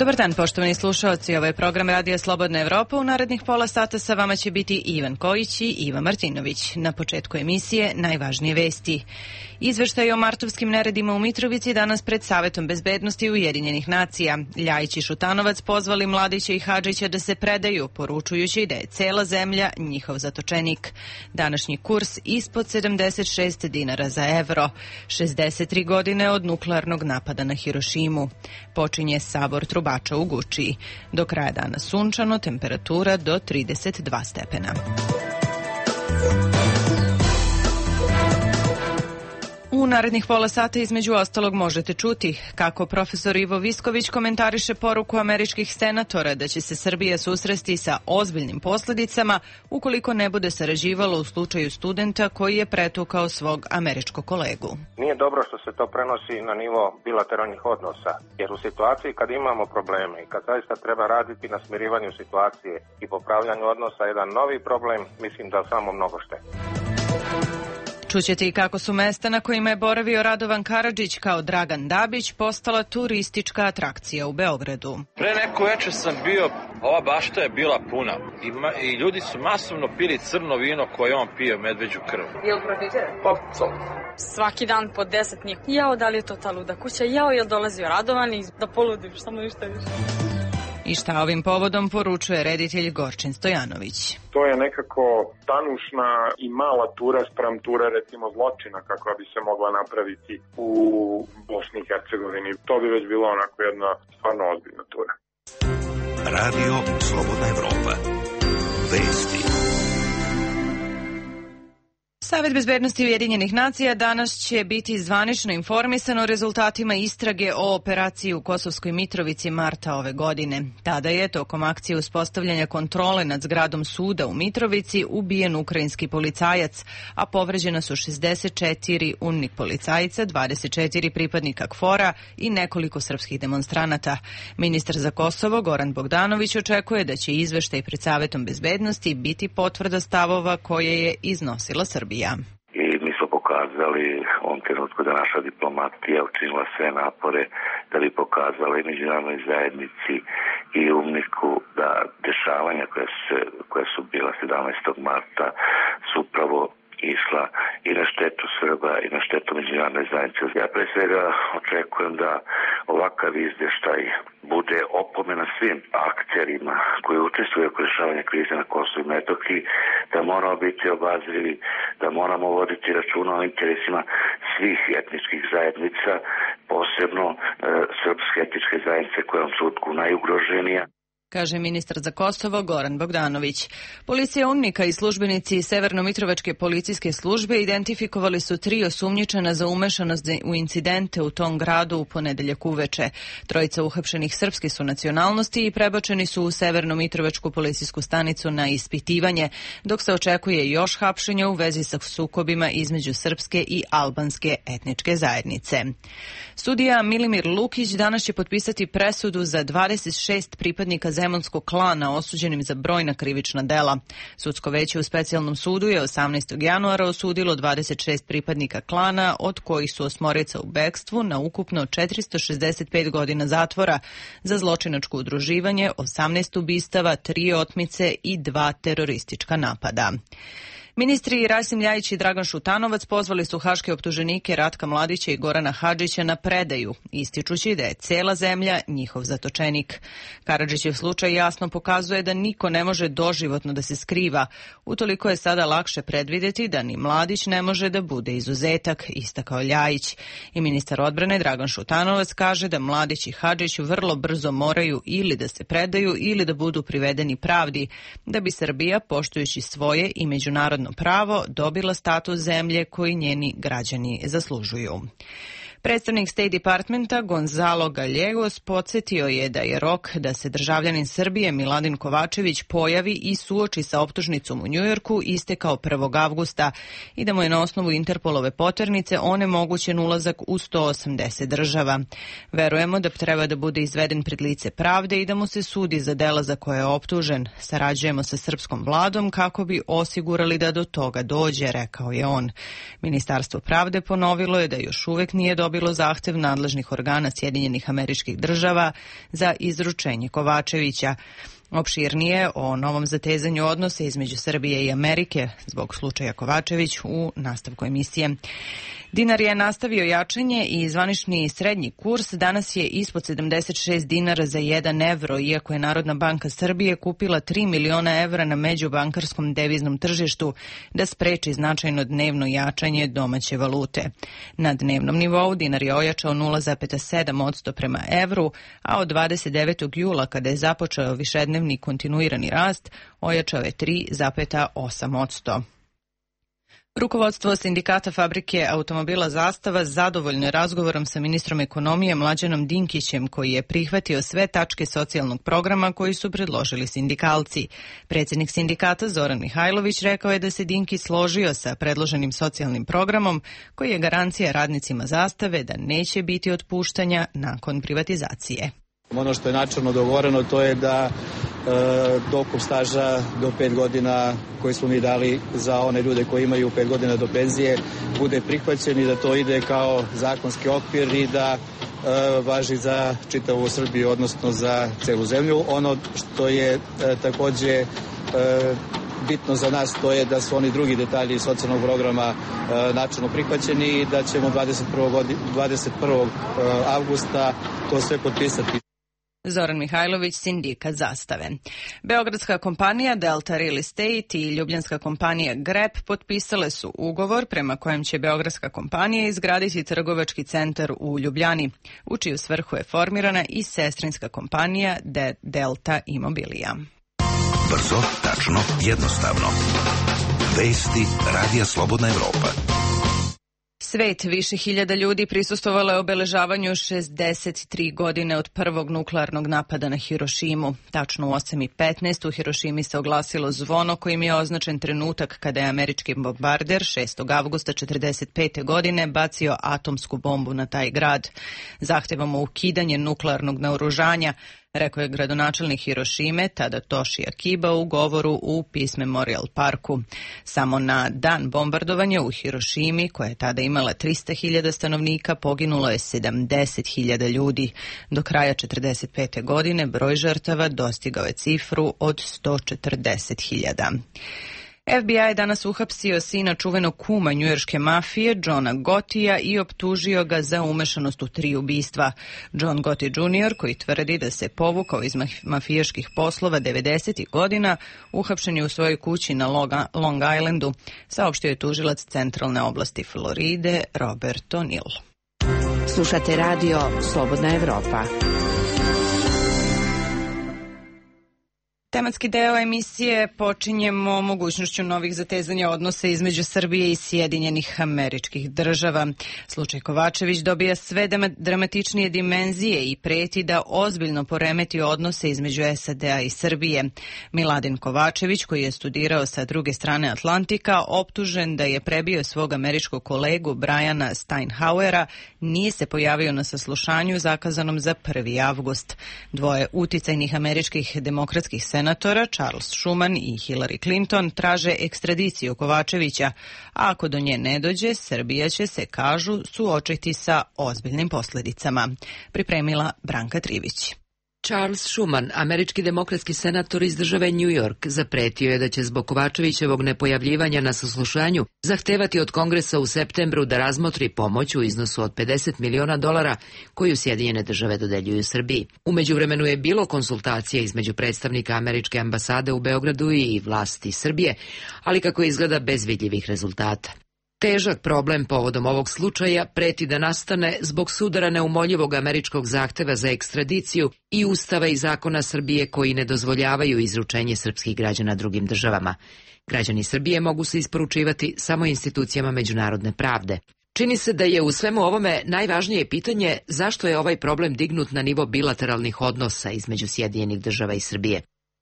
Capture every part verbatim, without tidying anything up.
Dobar dan, poštovani slušaoci. Ovo je program Radija Slobodna Evropa. U narednih pola sata sa vama će biti Ivan Kojić i Iva Martinović. Na početku emisije najvažnije vesti. Izveštaj o martovskim neredima u Mitrovici danas pred Savetom bezbednosti Ujedinjenih nacija. Ljajić i Šutanovac pozvali Mladića i Hadžića da se predaju, poručujući da je cela zemlja njihov zatočenik. Današnji kurs ispod sedamdeset šest dinara za evro. šezdeset tri godine od nuklearnog napada na Hirošimu. Počinje sabor trubača u Gučiji. Do kraja dana sunčano, temperatura do trideset dva stepena. U narednih pola sata između ostalog možete čuti kako profesor Ivo Visković komentariše poruku američkih senatora da će se Srbija susresti sa ozbiljnim posljedicama ukoliko ne bude sarađivalo u slučaju studenta koji je pretukao svog američkog kolegu. Nije dobro što se to prenosi na nivo bilateralnih odnosa, jer u situaciji kad imamo probleme i kad zaista treba raditi na smirivanju situacije i popravljanju odnosa jedan novi problem, mislim da samo mnogo šteti. Čućete i kako su mesta na kojima je boravio Radovan Karadžić kao Dragan Dabić postala turistička atrakcija u Beogradu. Pre neko večer sam bio, ova bašta je bila puna i, ma, i ljudi su masovno pili crno vino koje on pije, medveđu krv. Je li profitira? Pa, co? Svaki dan po deset njih. Jao, da li je to ta luda kuća? Jao, je li dolazio Radovan i da poludim, samo ništa više. I šta ovim povodom poručuje reditelj Gorčin Stojanović? To je nekako tanušna i mala tura sprem ture recimo zločina kako bi se mogla napraviti u Bosni i Hercegovini. To bi već bila onako jedna stvarno ozbiljna tura. Radio Slobodna Evropa. Vesti. Savet bezbednosti Ujedinjenih nacija danas će biti zvanično informisan o rezultatima istrage o operaciji u Kosovskoj Mitrovici marta ove godine. Tada je tokom akcije uspostavljanja kontrole nad zgradom suda u Mitrovici ubijen ukrajinski policajac, a povređena su šezdeset četiri UNMIK policajca, dvadeset četiri pripadnika KFOR-a i nekoliko srpskih demonstranata. Ministar za Kosovo Goran Bogdanović očekuje da će izveštaj pred Savetom bezbednosti biti potvrda stavova koje je iznosila Srbija. I mi smo pokazali u ovom trenutku da naša diplomatija učinila sve napore da bi pokazala i međunarodnoj zajednici i UNMIK-u da dešavanja koje su, koje su bila sedamnaestog marta su upravo išla i na štetu Srba i na štetu međunarodne zajednice. Ja pre svega očekujem da ovakav izveštaj bude opomena svim akterima koji učestvuju u rešavanju krize na Kosovu i Metohiji, da moramo biti obazrivi, da moramo voditi računa o interesima svih etničkih zajednica, posebno e, srpske etničke zajednice koja je u sudku najugroženija, kaže ministar za Kosovo Goran Bogdanović. Policija UNMIK-a i službenici Severno-Mitrovačke policijske službe identifikovali su tri osumnjičena za umešanost u incidente u tom gradu u ponedeljak uveče. Trojica uhapšenih srpske su nacionalnosti i prebačeni su u Severno-Mitrovačku policijsku stanicu na ispitivanje, dok se očekuje još hapšenja u vezi sa sukobima između srpske i albanske etničke zajednice. Sudija Milimir Lukić danas će potpisati presudu za dvadeset šest pripadnika zemunskog klana osuđenim za brojna krivična dela. Sudsko veće u specijalnom sudu je osamnaestog januara osudilo dvadeset šest pripadnika klana, od kojih su osmorica u bekstvu na ukupno četiristo šezdeset pet godina zatvora za zločinačko udruživanje, osamnaest ubistava, tri otmice i dva teroristička napada. Ministri Rasim Ljajić i Dragan Šutanovac pozvali su haške optuženike Ratka Mladića i Gorana Hadžića na predaju, ističući da je cela zemlja njihov zatočenik. Karadžićev slučaj jasno pokazuje da niko ne može doživotno da se skriva. Utoliko je sada lakše predvideti da ni Mladić ne može da bude izuzetak, istakao Ljajić. I ministar odbrane Dragan Šutanovac kaže da Mladić i Hadžić vrlo brzo moraju ili da se predaju ili da budu privedeni pravdi, da bi Srbija, poštujući svoje i međunarodno pravo, dobila status zemlje koji njeni građani zaslužuju. Predstavnik State Departmenta Gonzalo Gallegos podsjetio je da je rok da se državljanin Srbije Miladin Kovačević pojavi i suoči sa optužnicom u Njujorku istekao prvog avgusta i da mu je na osnovu Interpolove poternice onemogućen ulazak u sto osamdeset država. Verujemo da treba da bude izveden pred lice pravde i da mu se sudi za dela za koje je optužen. Sarađujemo sa srpskom vladom kako bi osigurali da do toga dođe, rekao je on. Ministarstvo pravde ponovilo je da još uvek nije dobro odbilo zahtev nadležnih organa Sjedinjenih Američkih Država za izručenje Kovačevića. Opširnije o novom zatezanju odnosa između Srbije i Amerike zbog slučaja Kovačević u nastavku emisije. Dinar je nastavio jačanje i zvanični srednji kurs danas je ispod sedamdeset šest dinara za jedan evro, iako je Narodna banka Srbije kupila tri miliona evra na međubankarskom deviznom tržištu da spreči značajno dnevno jačanje domaće valute. Na dnevnom nivou dinar je ojačao nula zarez sedam posto prema evru, a od dvadeset devetog jula kada je započeo višednevni kontinuirani rast, ojačao je tri zarez osam posto. Rukovodstvo sindikata fabrike automobila Zastava zadovoljno je razgovorom sa ministrom ekonomije Mlađanom Dinkićem, koji je prihvatio sve tačke socijalnog programa koji su predložili sindikalci. Predsjednik sindikata Zoran Mihajlović rekao je da se Dinkić složio sa predloženim socijalnim programom, koji je garancija radnicima Zastave da neće biti otpuštanja nakon privatizacije. Ono što je načelno dogovoreno to je da e, dokup staža do pet godina koji smo mi dali za one ljude koji imaju pet godina do penzije bude prihvaćen i da to ide kao zakonski okvir i da e, važi za čitavu Srbiju, odnosno za celu zemlju. Ono što je e, takođe e, bitno za nas to je da su oni drugi detalji socijalnog programa e, načelno prihvaćeni i da ćemo dvadeset prvog avgusta to sve potpisati. Zoran Mihajlović, sindikat Zastave. Beogradska kompanija Delta Real Estate i ljubljanska kompanija Grep potpisale su ugovor prema kojem će beogradska kompanija izgraditi trgovački centar u Ljubljani, u čiju svrhu je formirana i sestrinska kompanija De Delta Immobilia. Brzo, tačno, jednostavno. Vesti Radija Slobodna Evropa. Svet, više hiljada ljudi prisustvovalo je obeležavanju šezdeset tri godine od prvog nuklearnog napada na Hirošimu. Tačno u osam i petnaest u Hirošimi se oglasilo zvono kojim je označen trenutak kada je američki bombarder šestog avgusta četrdeset pete godine bacio atomsku bombu na taj grad. Zahtevamo ukidanje nuklearnog naoružanja, rekao je gradonačelnik Hirošime Tadatoshi Akiba u govoru u Peace Memorial Parku. Samo na dan bombardovanja u Hirošimi, koja je tada imala trista hiljada stanovnika, poginulo je sedamdeset hiljada ljudi. Do kraja četrdeset pete godine broj žrtava dostigao je cifru od sto četrdeset hiljada. F B I je danas uhapsio sina čuvenog kuma njujorške mafije, Johna Gottija, i optužio ga za umešanost u tri ubistva. John Gotti junior, koji tvrdi da se povukao iz mafijaških poslova devedesetih godina, uhapšen je u svojoj kući na Long Islandu, saopštio je tužilac centralne oblasti Floride Robert O'Neill. Slušate radio Slobodna Evropa. Tematski deo emisije počinjemo mogućnošću novih zatezanja odnosa između Srbije i Sjedinjenih Američkih Država. Slučaj Kovačević dobija sve dramatičnije dimenzije i preti da ozbiljno poremeti odnose između S A D a i Srbije. Miladin Kovačević, koji je studirao sa druge strane Atlantika, optužen da je prebio svog američkog kolegu Briana Steinhauera, nije se pojavio na saslušanju zakazanom za prvi avgust. Dvoje uticajnih američkih demokratskih senatora, Charles Schuman i Hillary Clinton, traže ekstradiciju Kovačevića, a ako do nje ne dođe, Srbija će se, kažu, suočiti sa ozbiljnim posljedicama. Pripremila Branka Trivić. Charles Schuman, američki demokratski senator iz države New York, zapretio je da će zbog Kovačevićevog nepojavljivanja na saslušanju zahtevati od Kongresa u septembru da razmotri pomoć u iznosu od pedeset miliona dolara koju Sjedinjene države dodeljuju Srbiji. U međuvremenu je bilo konsultacija između predstavnika američke ambasade u Beogradu i vlasti Srbije, ali kako izgleda bez vidljivih rezultata. Težak problem povodom ovog slučaja preti da nastane zbog sudara neumoljivog američkog zahteva za ekstradiciju i ustava i zakona Srbije koji ne dozvoljavaju izručenje srpskih građana drugim državama. Građani Srbije mogu se isporučivati samo institucijama međunarodne pravde. Čini se da je u svemu ovome najvažnije pitanje zašto je ovaj problem dignut na nivo bilateralnih odnosa između Sjedinjenih država i Srbije.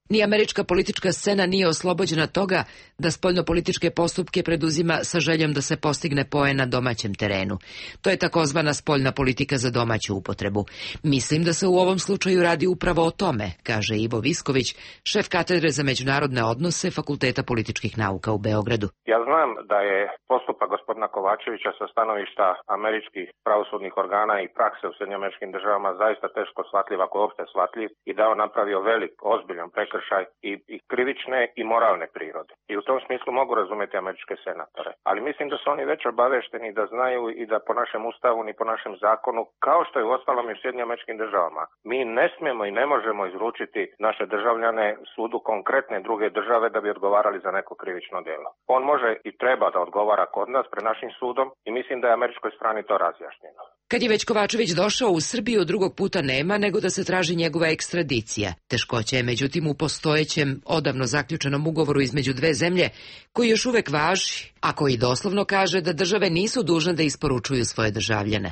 Ni američka politička scena nije oslobođena toga da spoljnopolitičke postupke preduzima sa željom da se postigne poen na domaćem terenu. To je takozvana spoljna politika za domaću upotrebu. Mislim da se u ovom slučaju radi upravo o tome, kaže Ivo Visković, šef katedre za međunarodne odnose Fakulteta političkih nauka u Beogradu. Ja znam da je postupak gospodina Kovačevića sa stanovišta američkih pravosudnih organa i prakse u Sjedinjenim Američkim Državama zaista teško shvatljiv, ako je uopšte shvatljiv, i da on napravio velik, ozbiljan prekršaj i, i krivične i moralne prirode. I u tom smislu mogu razumjeti američke senatore. Ali mislim da su oni već obavešteni da znaju i da po našem ustavu ni po našem zakonu, kao što je u ostalom i u Sjedinjenim Američkim Državama, mi ne smijemo i ne možemo izručiti naše državljane sudu konkretne druge države da bi odgovarali za neko krivično djelo. On može i treba da odgovara kod nas pred našim sudom i mislim da je američkoj strani to razjašnjeno. Kad je već Kovačević došao u Srbiju, drugog puta nema nego da se traži njegova ekstradicija. Teškoća je međutim u postojećem, odavno zaključenom ugovoru između dve zemlje, koji još uvek važi, a koji doslovno kaže da države nisu dužne da isporučuju svoje državljane.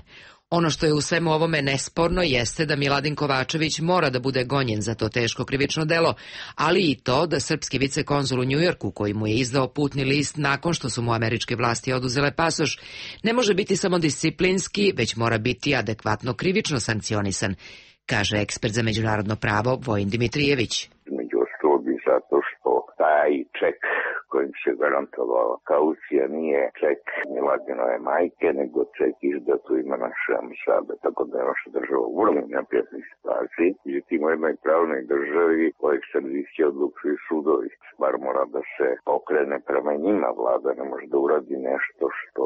Ono što je u svemu ovome nesporno jeste da Miladin Kovačević mora da bude gonjen za to teško krivično delo, ali i to da srpski vicekonzul u Njujorku, koji mu je izdao putni list nakon što su mu američke vlasti oduzele pasoš, ne može biti samo disciplinski, već mora biti adekvatno krivično sankcionisan, kaže ekspert za međunarodno pravo Vojin Dimitrijević. Među ostalog i zato što taj ček kojim se garantovala kaucija nije ček Miladinove majke, nego ček izdat u ime naše ambasade, tako da je naša država u vrlo neprijatnoj situaciji. Međutim, u jednoj pravnoj državi o ekstradiciji odlučuju sudovi. Bar mora da se okrene prema njima, vlada ne može da uradi nešto što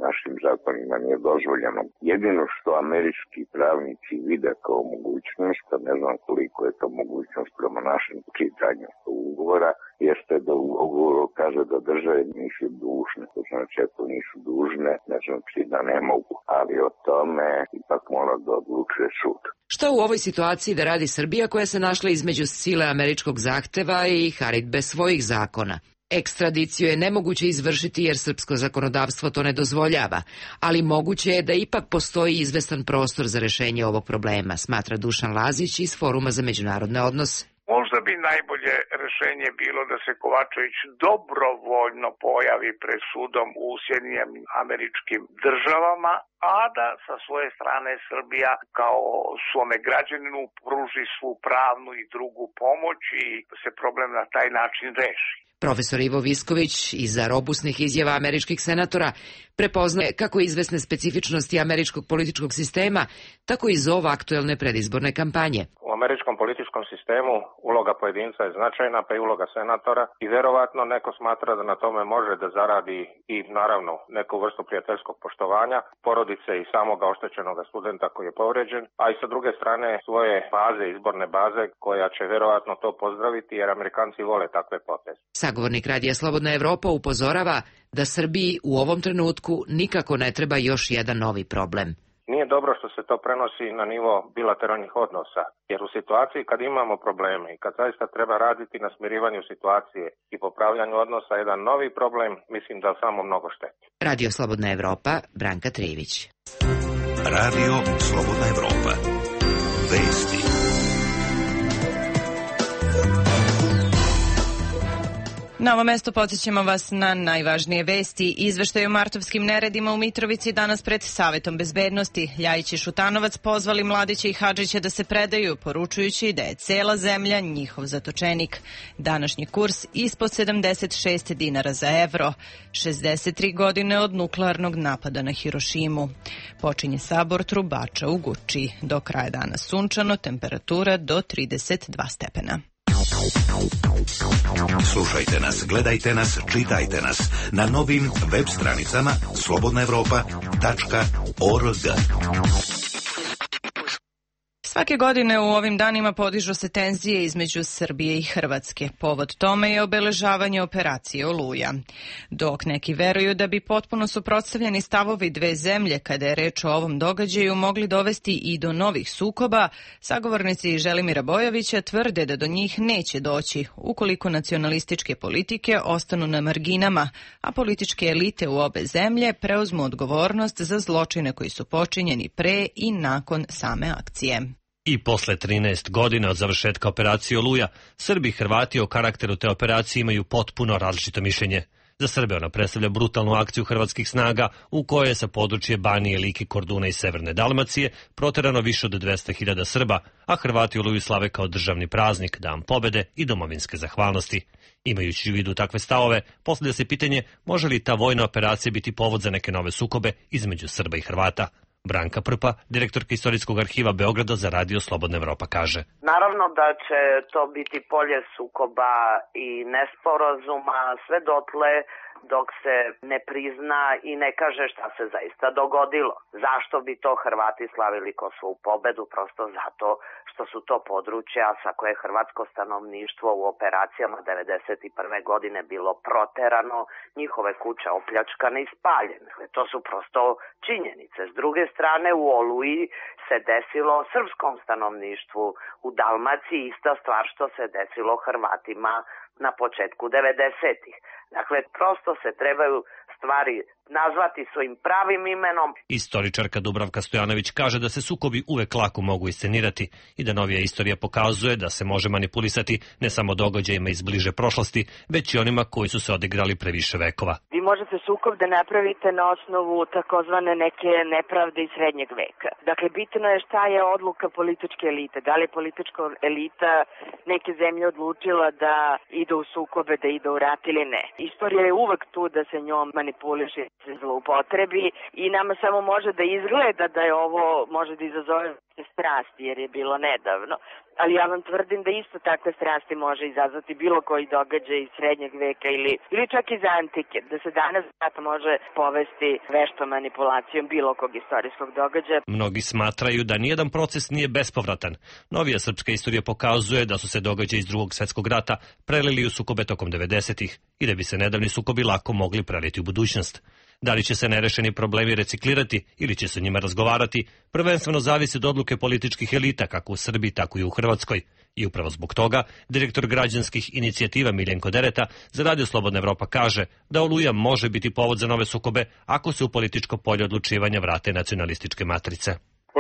našim zakonima nije dozvoljeno. Jedino što američki pravnici vide kao mogućnost, a ne znam koliko je to mogućnost prema našem čitanju ugovora, jeste da u ugovoru kaže da države nisu dužne. To znači, ako nisu dužne, ne znači da ne mogu, ali o tome ipak mora da odlučuje sud. Šta u ovoj situaciji da radi Srbija, koja se našla između sile američkog zahteva i haridbe svojih zakona? Ekstradiciju je nemoguće izvršiti jer srpsko zakonodavstvo to ne dozvoljava, ali moguće je da ipak postoji izvestan prostor za rešenje ovog problema, smatra Dušan Lazić iz Foruma za međunarodne odnose. Možda bi najbolje rešenje bilo da se Kovačević dobrovoljno pojavi pred sudom u Sjedinjenim Američkim Državama, a da sa svoje strane Srbija kao svome građaninu pruži svu pravnu i drugu pomoć i da se problem na taj način reši. Profesor Ivo Visković iza robusnih izjava američkih senatora prepoznaje kako izvesne specifičnosti američkog političkog sistema, tako i zov aktuelne predizborne kampanje. U američkom političkom sistemu uloga pojedinca je značajna, pa i uloga senatora i verovatno neko smatra da na tome može da zaradi i naravno neku vrstu prijateljskog poštovanja porodice i samoga oštećenog studenta koji je povređen, a i sa druge strane svoje baze, izborne baze koja će verovatno to pozdraviti jer Amerikanci vole takve poteze. Sagovornik Radija Slobodna Evropa upozorava da Srbiji u ovom trenutku nikako ne treba još jedan novi problem. Nije dobro što se to prenosi na nivo bilateralnih odnosa, jer u situaciji kad imamo probleme i kad zaista treba raditi na smirivanju situacije i popravljanju odnosa jedan novi problem, mislim da samo mnogo šteti. Radio Slobodna Evropa, Branka Trijević. Radio Slobodna Evropa. Vesti. Na ovo mesto podsjećamo vas na najvažnije vesti. Izveštaj o martovskim neredima u Mitrovici danas pred Savetom bezbednosti. Ljajić i Šutanovac pozvali Mladića i Hadžića da se predaju, poručujući da je cela zemlja njihov zatočenik. Današnji kurs ispod sedamdeset šest dinara za evro. šezdeset tri godine od nuklearnog napada na Hirošimu. Počinje sabor trubača u Guči. Do kraja dana sunčano, temperatura do trideset dva stepena. Slušajte nas, gledajte nas, čitajte nas na novim web stranicama slobodna evropa tačka org. Svake godine u ovim danima podižu se tenzije između Srbije i Hrvatske. Povod tome je obeležavanje operacije Oluja. Dok neki veruju da bi potpuno suprotstavljeni stavovi dve zemlje kada je reč o ovom događaju mogli dovesti i do novih sukoba, sagovornici Želimira Bojovića tvrde da do njih neće doći ukoliko nacionalističke politike ostanu na marginama, a političke elite u obe zemlje preuzmu odgovornost za zločine koji su počinjeni pre i nakon same akcije. I posle trinaest godina od završetka operacije Oluja, Srbi i Hrvati o karakteru te operacije imaju potpuno različito mišljenje. Za Srbe ona predstavlja brutalnu akciju hrvatskih snaga u kojoj je sa područje Banije, Like, Korduna i Severne Dalmacije proterano više od dvesta hiljada Srba, a Hrvati Oluju slave kao državni praznik, dan pobede i domovinske zahvalnosti. Imajući u vidu takve stavove, postavlja se pitanje može li ta vojna operacija biti povod za neke nove sukobe između Srba i Hrvata. Branka Prpa, direktorka Istorijskog arhiva Beograda za radio Slobodna Evropa, kaže. Naravno da će to biti polje sukoba i nesporazuma sve dotle dok se ne prizna i ne kaže šta se zaista dogodilo. Zašto bi to Hrvati slavili ko svoju pobedu? Prosto zato što su to područja sa koje hrvatsko stanovništvo u operacijama devedeset prve godine bilo proterano, njihove kuće opljačkane i spaljene. To su prosto činjenice. S druge strane, u Oluji se desilo srpskom stanovništvu, u Dalmaciji ista stvar što se desilo Hrvatima na početku devedesetih. Dakle, prosto se trebaju stvari nazvati svojim pravim imenom. Istoričarka Dubravka Stojanović kaže da se sukobi uvek lako mogu iscenirati i da novija istorija pokazuje da se može manipulisati ne samo događajima iz bliže prošlosti, već i onima koji su se odigrali pre više vekova. Vi možete sukob da napravite na osnovu takozvane neke nepravde iz srednjeg veka. Dakle, bitno je šta je odluka političke elite. Da li je politička elita neke zemlje odlučila da ide u sukobe, da ide u rat ili ne. Istorija je uvek tu da se njom manipuliše, se zloupotrebi i nama samo može da izgleda da je ovo može da izazove strasti jer je bilo nedavno. Ali ja vam tvrdim da isto takve strasti može izazvati bilo koji događaj iz srednjeg veka ili, ili čak iz antike. Da se danas može povesti veštom manipulacijom bilo kog istorijskog događaja. Mnogi smatraju da nijedan proces nije bespovratan. Novija srpska istorija pokazuje da su se događaji iz Drugog svjetskog rata prelili u sukobe tokom devedesetih i da bi se nedavni sukobi lako mogli preliti u budućnost. Da li će se nerešeni problemi reciklirati ili će se o njima razgovarati, prvenstveno zavisi od odluke političkih elita kako u Srbiji, tako i u Hrvatskoj. I upravo zbog toga, direktor građanskih inicijativa Miljenko Dereta za radio Slobodna Evropa kaže da Oluja može biti povod za nove sukobe ako se u političko polje odlučivanja vrate nacionalističke matrice.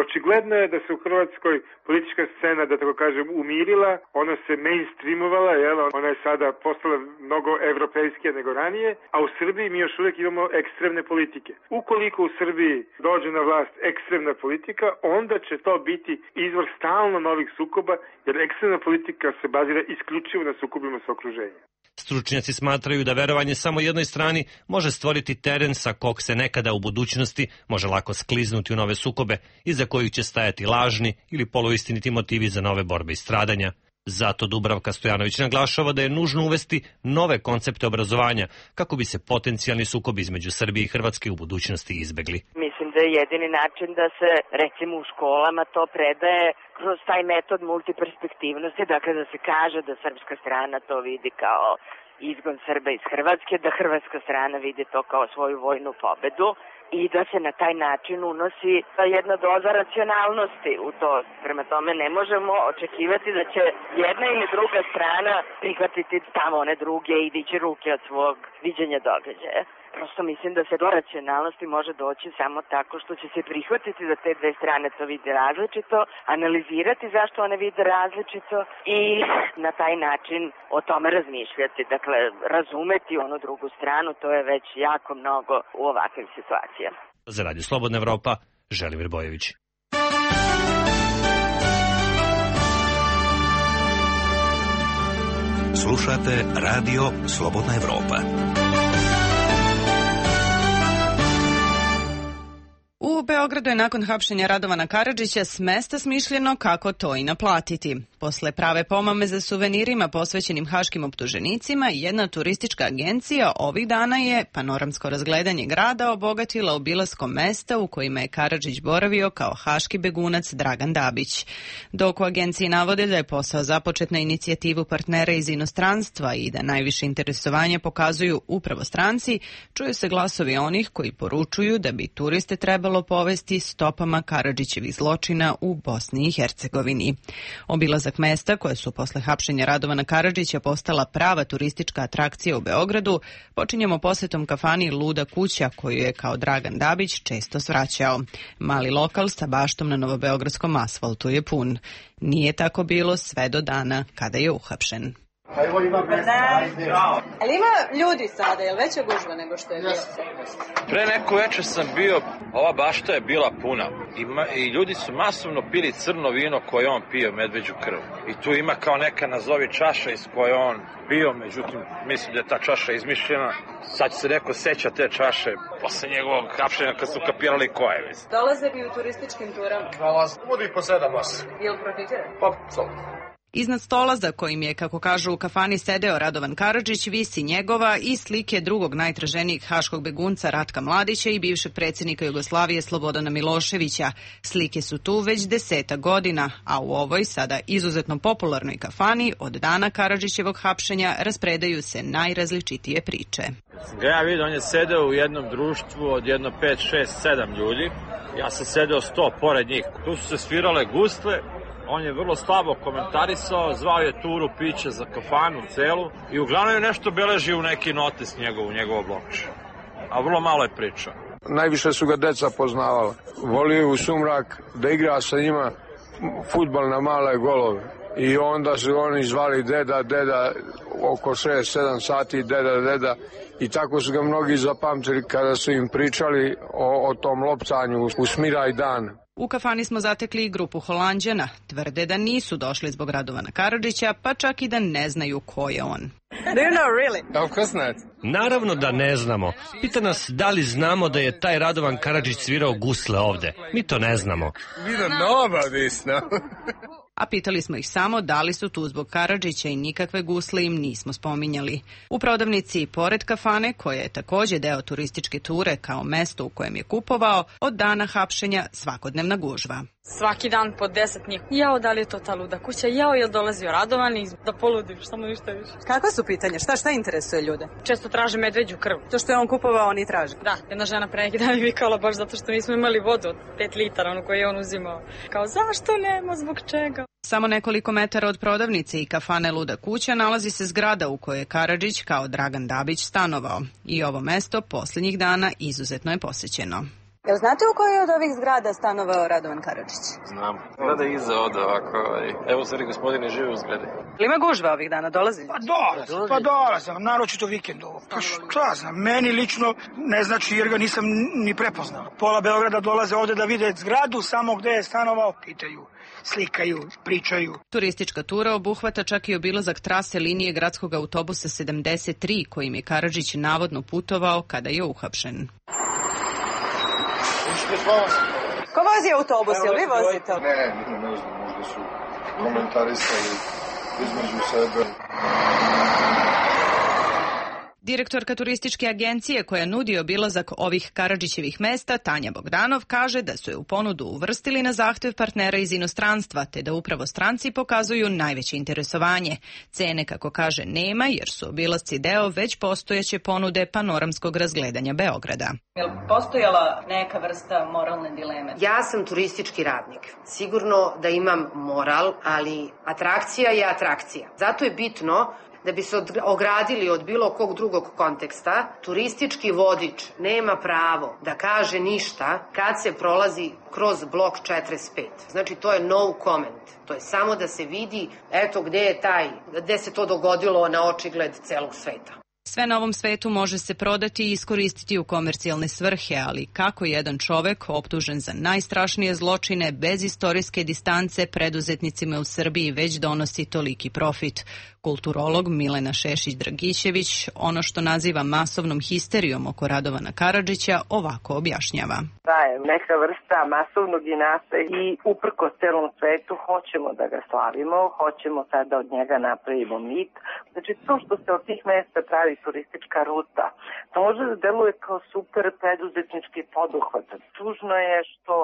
Očigledno je da se u Hrvatskoj politička scena, da tako kažem, umirila, ona se mainstreamovala, jel? Ona je sada postala mnogo evropejskija nego ranije, a u Srbiji mi još uvijek imamo ekstremne politike. Ukoliko u Srbiji dođe na vlast ekstremna politika, onda će to biti izvor stalno novih sukoba, jer ekstremna politika se bazira isključivo na sukobima sa okruženjem. Stručnjaci smatraju da verovanje samo jednoj strani može stvoriti teren sa kog se nekada u budućnosti može lako skliznuti u nove sukobe, iza kojih će stajati lažni ili poluistiniti motivi za nove borbe i stradanja. Zato Dubravka Stojanović naglašava da je nužno uvesti nove koncepte obrazovanja kako bi se potencijalni sukobi između Srbije i Hrvatske u budućnosti izbegli. Mislim da je jedini način da se recimo u školama to predaje kroz taj metod multiperspektivnosti, dakle da se kaže da srpska strana to vidi kao izgon Srba iz Hrvatske, da hrvatska strana vidi to kao svoju vojnu pobedu i da se na taj način unosi jedna doza racionalnosti u to. Prema tome ne možemo očekivati da će jedna ili druga strana prihvatiti tamo one druge i dići ruke od svog viđenja događaja. Prosto mislim da se do racionalnosti može doći samo tako što će se prihvatiti da te dve strane to vide različito, analizirati zašto one vide različito i na taj način o tome razmišljati. Dakle, razumeti onu drugu stranu, to je već jako mnogo u ovakvim situacijama. Za radio Slobodna Evropa, Želimir Bojević. Slušate radio Slobodna Evropa. U Beogradu je nakon hapšenja Radovana Karadžića s mesta smišljeno kako to i naplatiti. Posle prave pomame za suvenirima posvećenim haškim optuženicima, jedna turistička agencija ovih dana je panoramsko razgledanje grada obogatila obilaskom mesta u kojima je Karadžić boravio kao haški begunac Dragan Dabić. Dok u agenciji navode da je posao započet na inicijativu partnera iz inostranstva i da najviše interesovanje pokazuju upravo stranci, čuju se glasovi onih koji poručuju da bi turiste trebalo povezati povesti stopama Karadžićevih zločina u Bosni i Hercegovini. Obilazak mesta koje su posle hapšenja Radovana Karadžića postala prava turistička atrakcija u Beogradu počinjemo posetom kafani Luda kuća koju je kao Dragan Dabić često svraćao. Mali lokal sa baštom na novobeogradskom asfaltu je pun. Nije tako bilo sve do dana kada je uhapšen. Ali ima ljudi sada, je li veća gužva nego što je bilo? Pre neko večer sam bio, ova bašta je bila puna i, ma, i ljudi su masovno pili crno vino koje on pio, medveđu krv. I tu ima kao neka nazovi čaša iz koje on pio, međutim mislim da je ta čaša izmišljena. Sad će se neko seća te čaše posle njegovog hapšenja kad su kapirali ko je. Mislim. Dolaze bi u turističkim turama? Dolaze, budi po sedam vas. Jel profitira? Pa, samo. Iznad stola za kojim je, kako kažu u kafani, sedeo Radovan Karadžić, visi njegova i slike drugog najtraženijeg haškog begunca Ratka Mladića i bivšeg predsjednika Jugoslavije Slobodana Miloševića. Slike su tu već deseta godina, a u ovoj sada izuzetno popularnoj kafani od dana Karadžićevog hapšenja raspredaju se najrazličitije priče. Ga ja vidim, on je sedeo u jednom društvu od jedno pet, šest, sedam ljudi. Ja sam sedeo sto pored njih. Tu su se svirale gusle. On je vrlo slabo komentarisao, zvao je turu piće za kafanu celu i uglavnom je nešto beležio u neki notes njegov, u njegovo blokče. A vrlo malo je pričao. Najviše su ga deca poznavala. Volio u sumrak da igra sa njima fudbal na male golove. I onda su oni zvali deda, deda, oko šest sedam sati, deda, deda. I tako su ga mnogi zapamtili kada su im pričali o, o tom lopcanju u Smiraj dan. U kafani smo zatekli i grupu Holanđana. Tvrde da nisu došli zbog Radovana Karadžića, pa čak i da ne znaju ko je on. Do you know really? Of course not. Naravno da ne znamo. Pita nas da li znamo da je taj Radovan Karadžić svirao gusle ovde. Mi to ne znamo. We don't know about this, no? A pitali smo ih samo da li su tu zbog Karadžića i nikakve gusle im nismo spominjali. U prodavnici pored kafane, koja je takođe deo turističke ture kao mesto u kojem je kupovao, od dana hapšenja svakodnevna gužva. Svaki dan po deset njih. Jao, da li je to ta luda kuća? Jao, je li dolazio Radovan i da poludiš, samo ništa više. Kakva su pitanja? Šta, šta interesuje ljude? Često traže medveđu krv. To što je on kupovao, oni traže? Da, jedna žena pre neki dan je vikala baš zato što nismo imali vodu od pet litara, onu koju je on uzimao. Kao, zašto nema, zbog čega? Samo nekoliko metara od prodavnice i kafane Luda kuća nalazi se zgrada u kojoj je Karadžić kao Dragan Dabić stanovao. I ovo mesto posljednjih dana izuzetno je posećeno. Jel znate u kojoj od ovih zgrada stanovao Radovan Karadžić? Znam. Zgrada iza ode ovako. Evo stvari gospodine žive u zgradi. Ili ima gužva ovih dana? Dolazi? Pa dolazi, pa dolazi, naročito vikendovo. Pa šta znam, meni lično ne znači jer ga nisam ni prepoznao. Pola Beograda dolaze ovde da vide zgradu, samo gde je stanovao, pitaju, slikaju, pričaju. Turistička tura obuhvata čak i obilazak trase linije gradskog autobusa sedamdeset tri kojim je Karadžić navodno putovao kada je uhapšen. Ko vozi autobus, jel vi vozite? Ne, ne znam, možda su komentarisali između sebe. Direktorka turističke agencije koja nudi obilazak ovih Karadžićevih mesta, Tanja Bogdanov, kaže da su je u ponudu uvrstili na zahtev partnera iz inostranstva, te da upravo stranci pokazuju najveće interesovanje. Cene, kako kaže, nema, jer su obilasci deo već postojeće ponude panoramskog razgledanja Beograda. Je li postojala neka vrsta moralne dileme? Ja sam turistički radnik. Sigurno da imam moral, ali atrakcija je atrakcija. Zato je bitno da bi se ogradili od bilo kog drugog konteksta, turistički vodič nema pravo da kaže ništa kad se prolazi kroz blok četrdeset pet. Znači, to je no comment. To je samo da se vidi, eto, gde je taj, gde se to dogodilo na očigled celog sveta. Sve na ovom svetu može se prodati i iskoristiti u komercijalne svrhe, ali kako jedan čovek optužen za najstrašnije zločine bez istorijske distance preduzetnicima u Srbiji već donosi toliki profit? Kulturolog Milena Šešić-Dragićević ono što naziva masovnom histerijom oko Radovana Karadžića ovako objašnjava. Da je neka vrsta masovnog inata i uprko celom svetu hoćemo da ga slavimo, hoćemo sad da od njega napravimo mit. Znači to što se od tih mesta pravi turistička ruta, to može da deluje kao super preduzetnički poduhvat. Tužno je što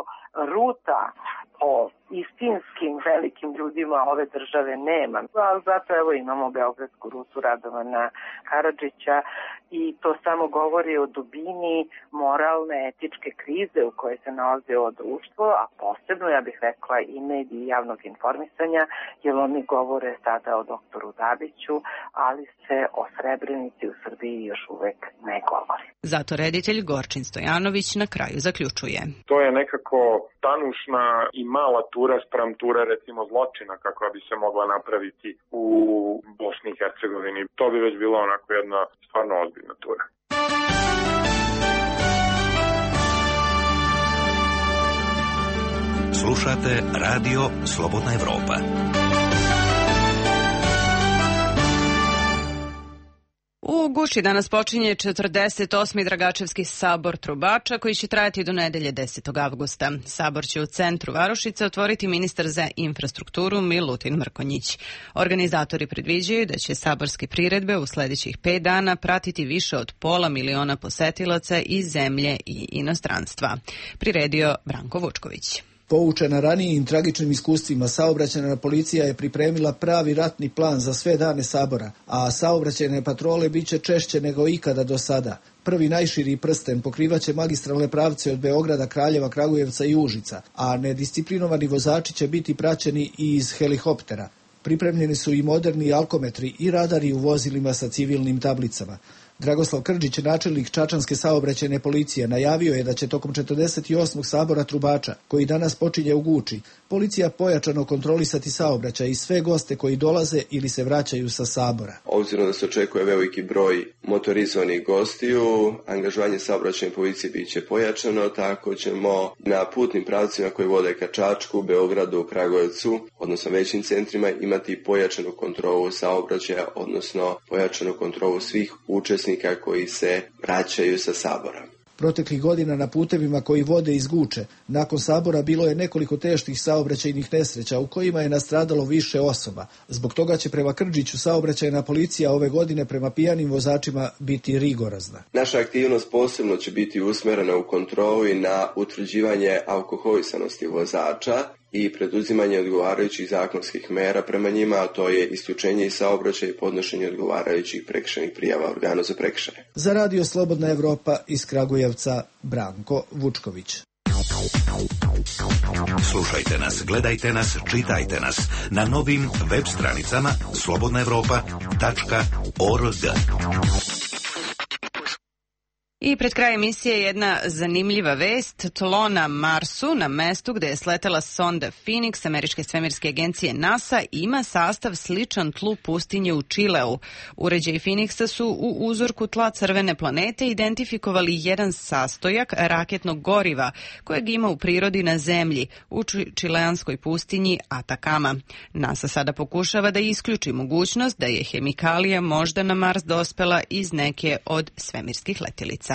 ruta o istinskim velikim ljudima ove države nema. Ali zato evo imamo beogradsku rutu Radovana Karadžića i to samo govori o dubini moralne, etičke krize u kojoj se nalazi ovo društvo, a posebno, ja bih rekla, i mediji javnog informisanja, jer oni govore sada o doktoru Dabiću, ali se o Srebrenici u Srbiji još uvek ne govori. Zato reditelj Gorčin Stojanović na kraju zaključuje. To je nekako tanušna i mala tura spram ture, recimo, zločina kakva bi se mogla napraviti u Bosni i Hercegovini. To bi već bila onako jedna stvarno ozbiljna tura. Slušate Radio Slobodna Evropa. U Guči danas počinje četrdeset osmi Dragačevski sabor trubača koji će trajati do nedelje desetog avgusta. Sabor će u centru Varošice otvoriti ministar za infrastrukturu Milutin Mrkonjić. Organizatori predviđaju da će saborske priredbe u sledećih pet dana pratiti više od pola miliona posetilaca iz zemlje i inostranstva. Priredio Branko Vučković. Poučena ranijim tragičnim iskustvima, saobraćajna policija je pripremila pravi ratni plan za sve dane sabora, a saobraćajne patrole biće češće nego ikada do sada. Prvi najširi prsten pokrivaće magistralne pravce od Beograda, Kraljeva, Kragujevca i Užica, a nedisciplinovani vozači će biti praćeni i iz helikoptera. Pripremljeni su i moderni alkometri i radari u vozilima sa civilnim tablicama. Dragoslav Krđić, načelnik Čačanske saobraćajne policije, najavio je da će tokom četrdeset osmog sabora trubača, koji danas počinje u Guči, policija pojačano kontrolisati saobraćaj i sve goste koji dolaze ili se vraćaju sa sabora. Obzirom da se očekuje veliki broj motorizovanih gostiju, angažovanje saobraćajne policije biće pojačano, tako ćemo na putnim pravcima koji vode ka Čačku, Beogradu, Kragujevcu, odnosno većim centrima, imati pojačanu kontrolu saobraćaja, odnosno pojačanu kontrolu svih učesnika koji se vraćaju sa sabora. Proteklih godina na putevima koji vode iz Guče, nakon sabora bilo je nekoliko teških saobraćajnih nesreća u kojima je nastradalo više osoba. Zbog toga će prema Krđiću saobraćajna policija ove godine prema pijanim vozačima biti rigorozna. Naša aktivnost posebno će biti usmerena u kontrolu i na utvrđivanje alkoholisanosti vozača i preduzimanje odgovarajućih zakonskih mera prema njima, a to je isključenje iz saobraćaja i podnošenje odgovarajućih prekršajnih prijava organu za prekršaje. Za Radio Slobodna Evropa iz Kragujevca, Branko Vučković. Slušajte nas, gledajte nas, čitajte nas na novim web stranicama slobodna evropa tačka org. I pred kraj emisije jedna zanimljiva vest. Tlo na Marsu, na mestu gde je sletela sonda Phoenix američke svemirske agencije NASA, ima sastav sličan tlu pustinje u Čileu. Uređaji Phoenixa su u uzorku tla crvene planete identifikovali jedan sastojak raketnog goriva kojeg ima u prirodi na Zemlji, u čileanskoj pustinji Atakama. NASA sada pokušava da isključi mogućnost da je hemikalija možda na Mars dospela iz neke od svemirskih letelica.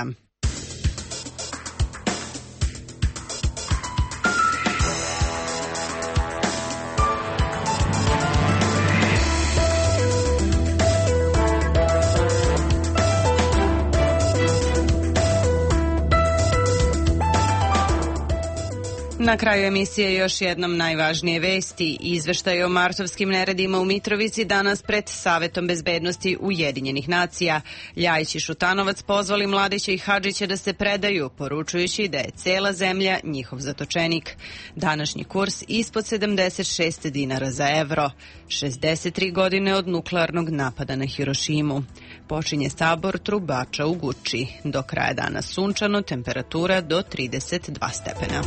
Na kraju emisije još jednom najvažnije vesti. Izveštaj o martovskim neredima u Mitrovici danas pred Savetom bezbednosti Ujedinjenih nacija. Ljajić i Šutanovac pozvali Mladića i Hadžića da se predaju, poručujući da je cela zemlja njihov zatočenik. Današnji kurs ispod sedamdeset šest dinara za evro. šezdeset tri godine od nuklearnog napada na Hirošimu. Počinje sabor trubača u Guči. Do kraja dana sunčano, temperatura do trideset dva stepena.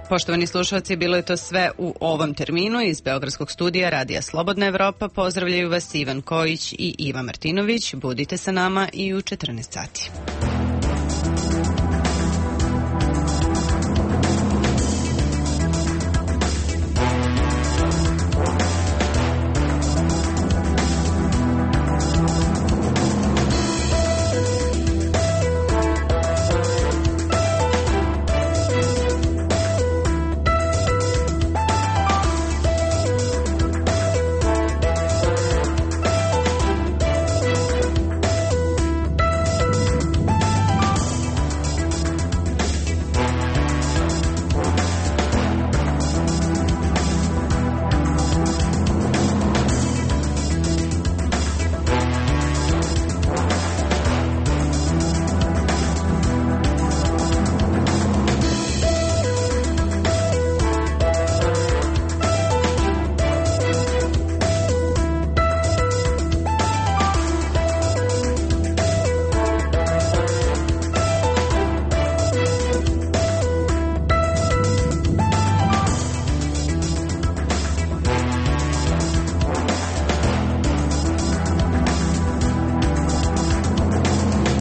Poštovani slušalci, bilo je to sve u ovom terminu. Iz Beogradskog studija Radija Slobodna Evropa pozdravljaju vas Ivan Kojić i Iva Martinović. Budite sa nama i u četrnaest sati.